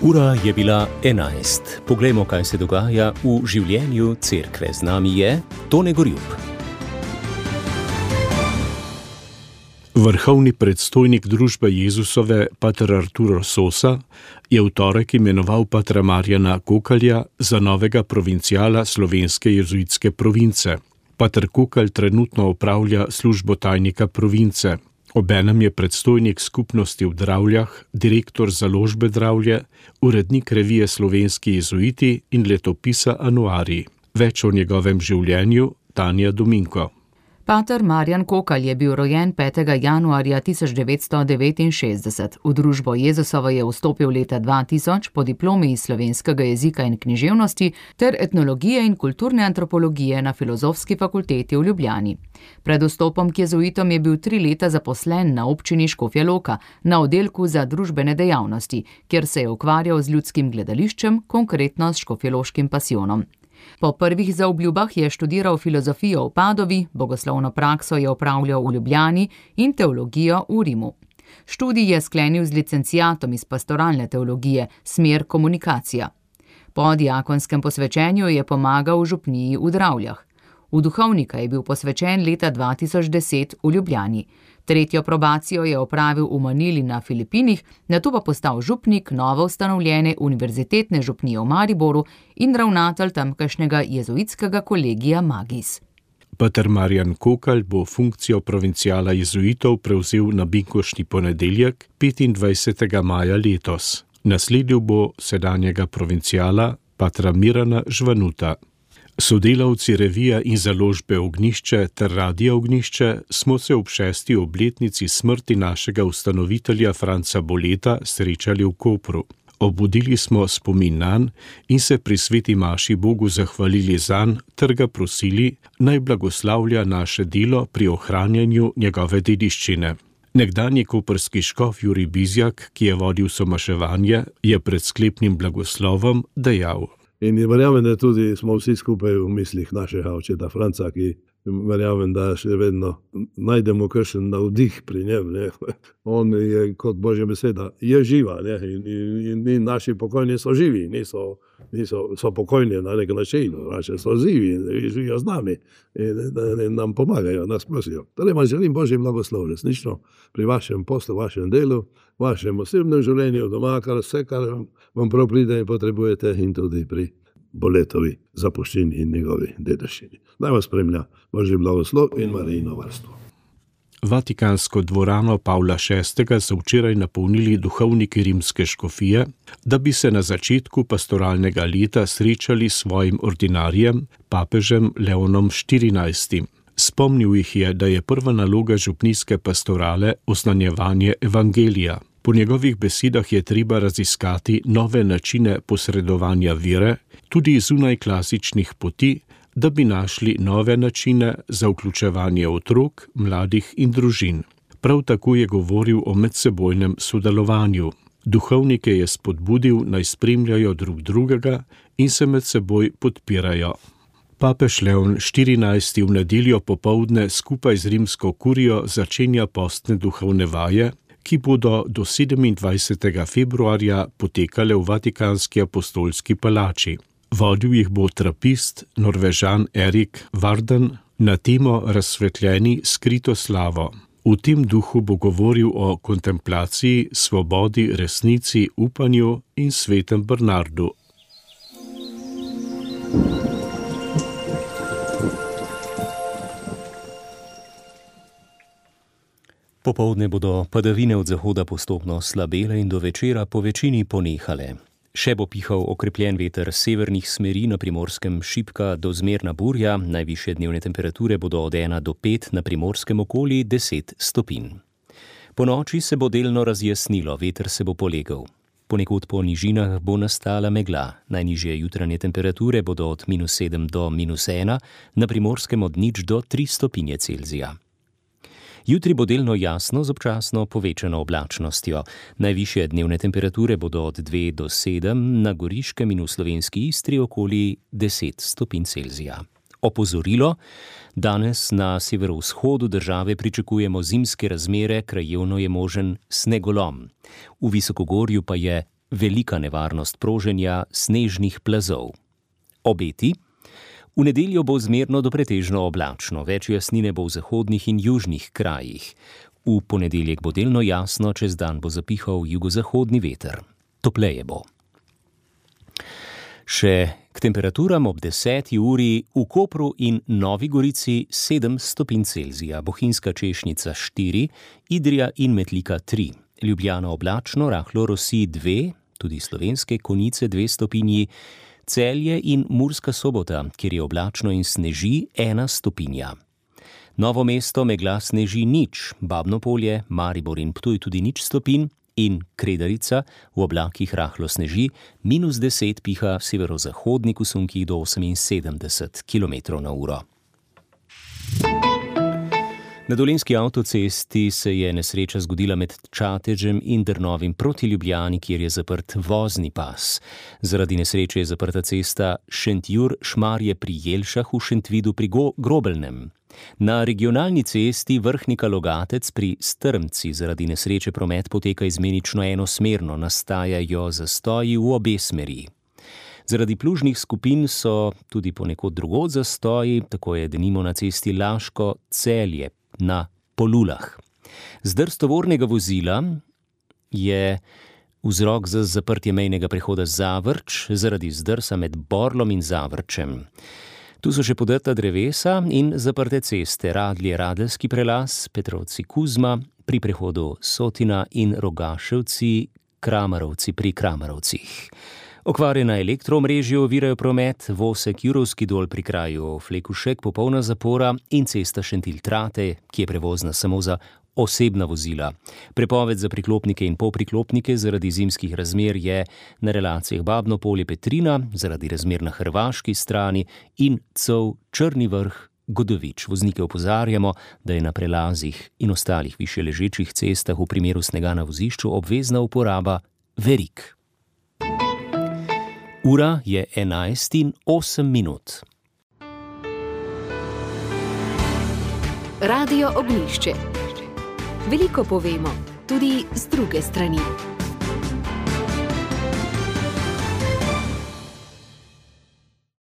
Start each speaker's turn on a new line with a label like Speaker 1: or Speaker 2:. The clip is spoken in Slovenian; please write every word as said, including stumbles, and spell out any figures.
Speaker 1: Ura je bila enajst. Poglejmo, kaj se dogaja v življenju cerkve. Z nami je Tone Gorjup.
Speaker 2: Vrhovni predstojnik družbe Jezusove, pater Arturo Sosa, je v torek imenoval patra Marjana Kokalja za novega provinciala slovenske jezuitske province. Pater Kokal trenutno opravlja službo tajnika province. Obenem je predstojnik skupnosti v Dravljah, direktor založbe Dravlje, urednik revije Slovenski jezuiti in letopisa Anuarij. Več o njegovem življenju Tanja Dominko.
Speaker 3: Pater Marjan Kokal je bil rojen petega januarja tisoč devetsto devetinšestdeset. V družbo Jezusovo je vstopil leta dva tisoč po diplomi iz slovenskega jezika in književnosti ter etnologije in kulturne antropologije na Filozofski fakulteti v Ljubljani. Pred vstopom k jezuitom je bil tri leta zaposlen na občini Škofja Loka, na oddelku za družbene dejavnosti, kjer se je ukvarjal z ljudskim gledališčem, konkretno s škofjeloškim pasijonom. Po prvih zaobljubah je študiral filozofijo v Padovi, bogoslovno prakso je opravljal v Ljubljani in teologijo v Rimu. Študij je sklenil z licenciatom iz pastoralne teologije, smer komunikacija. Po diakonskem posvečenju je pomagal v župniji v Dravljah. V duhovnika je bil posvečen leta dva tisoč deset v Ljubljani. Tretjo probacijo je opravil v Manili na Filipinih, nato pa postal župnik novo ustanovljene univerzitetne župnije v Mariboru in ravnatelj tamkajšnjega jezuitskega kolegija Magis.
Speaker 2: Pater Marjan Kokal bo funkcijo provinciala jezuitov prevzel na binkoštni ponedeljek, petindvajsetega maja letos. Nasledil bo sedanjega provinciala, patra Mirana Žvanuta. Sodelavci revija in založbe Ognjišče ter Radia Ognjišče smo se ob šesti obletnici smrti našega ustanovitelja Franca Boleta srečali v Kopru. Obudili smo spomin nanj in se pri sveti maši Bogu zahvalili zanj ter ga prosili, naj blagoslavlja naše delo pri ohranjanju njegove dediščine. Nekdanji koprski škof Jurij Bizjak, ki je vodil somaševanje, je pred sklepnim blagoslovom dejal:
Speaker 4: In verjamem, da tudi smo vsi skupaj v mislih našega očeta Franca, ki verjamem, da še vedno najdemo kakšen navdih pri njem. Ne. On je kot Božja beseda, je živa, ne. In, in, in naši pokojni so živi, niso, niso so pokojni na nek način, rače so živi, živijo z nami in, in nam pomagajo, nas prosijo. Torej vam želim Božji blagoslov resnično pri vašem poslu, vašem delu, vašem osebnem življenju doma, kar vse, kar vam prav pride in potrebujete, in tudi pri Boletovi zapuščini in njegovi dediščini. Naj vas spremlja Božji blagoslov in Marijino varstvo.
Speaker 2: Vatikansko dvorano Pavla šestega so včeraj napolnili duhovniki rimske škofije, da bi se na začetku pastoralnega leta srečali s svojim ordinarjem, papežem Leonom štirinajstim. Spomnil jih je, da je prva naloga župnijske pastorale oznanjevanje evangelija. Po njegovih besedah je treba raziskati nove načine posredovanja vere, tudi zunaj klasičnih poti, da bi našli nove načine za vključevanje otrok, mladih in družin. Prav tako je govoril o medsebojnem sodelovanju. Duhovnike je spodbudil, naj spremljajo drug drugega in se med seboj podpirajo. Papež Leon štirinajsti v nedeljo popoldne skupaj z rimsko kurijo začenja postne duhovne vaje, ki bodo do sedemindvajsetega februarja potekale v Vatikanski apostolski palači. Vodil jih bo trapist Norvežan Erik Varden na temo Razsvetljeni skrito slavo. V tem duhu bo govoril o kontemplaciji, svobodi, resnici, upanju in svetem Bernardu.
Speaker 1: Popoldne bodo padavine od zahoda postopno slabele in do večera po večini ponehale. Še bo pihal okrepljen veter severnih smeri, na Primorskem šibka do zmerna burja, najvišje dnevne temperature bodo od ena do pet, na Primorskem okoli deset stopinj. Po noči se bo delno razjasnilo, veter se bo polegel. Ponekod po nižinah bo nastala megla, najnižje jutranje temperature bodo od minus sedem do minus ena, na Primorskem od nič do tri stopinje Celzija. Jutri bo delno jasno z občasno povečano oblačnostjo. Najvišje dnevne temperature bodo od dve do sedem, na Goriškem in v slovenski Istri okoli deset stopinj Celzija. Opozorilo: danes na severovzhodu države pričakujemo zimske razmere, krajevno je možen snegolom. V visokogorju pa je velika nevarnost proženja snežnih plazov. Obeti. V nedeljo bo zmerno do pretežno oblačno, več jasnine bo v zahodnih in južnih krajih. V ponedeljek bo delno jasno, čez dan bo zapihal jugozahodni veter. Topleje bo. Še k temperaturam ob deseti uri v Kopru in Novi Gorici sedem stopinj Celzija, Bohinjska Češnica štiri, Idrija in Metlika tri, Ljubljana oblačno, rahlo rosi dve, tudi Slovenske Konjice dve stopinji, Celje in Murska Sobota, kjer je oblačno in sneži ena stopinja. Novo mesto megla sneži nič, Babno Polje, Maribor in Ptuj tudi nič stopinj, in Kredarica v oblakih rahlo sneži, minus deset piha severozahodnik v sunkih do oseminsedemdeset kilometrov na uro. Na Dolenjski avtocesti se je nesreča zgodila med Čatežem in Drnovim proti Ljubljani, kjer je zaprt vozni pas. Zaradi nesreče je zaprta cesta Šentjur-Šmarje pri Jelšah v Šentvidu pri Grobelnem. Na regionalni cesti Vrhnika-Logatec pri Strmci zaradi nesreče promet poteka izmenično enosmerno, nastajajo zastoji v obe smeri. Zaradi plužnih skupin so tudi ponekod drugod zastoji, tako je denimo na cesti Laško-Celje na Polulah. Zdrs tovornega vozila je vzrok za zaprtje mejnega prehoda Zavrč zaradi zdrsa med Borlom in Zavrčem. Tu so še podrta drevesa in zaprte ceste, Radlje-Radeljski prelaz, Petrovci-Kuzma pri prehodu Sotina in Rogaševci-Kramarovci pri Kramarovcih. Okvare na elektroomrežju ovirajo promet, Vosek-Jurovski dol pri kraju Flekušek, popolna zapora in cesta Šentilj-Trate, ki je prevozna samo za osebna vozila. Prepoved za priklopnike in polpriklopnike zaradi zimskih razmer je na relacijah Babno Polje-Petrina, zaradi razmer na hrvaški strani in Cov Črni Vrh-Godovič. Voznike opozarjamo, da je na prelazih in ostalih višje ležečih cestah v primeru snega na vozišču obvezna uporaba verig. Ura je enajst in osem minut.
Speaker 5: Radio Ognjišče. Veliko povemo, tudi z druge strani.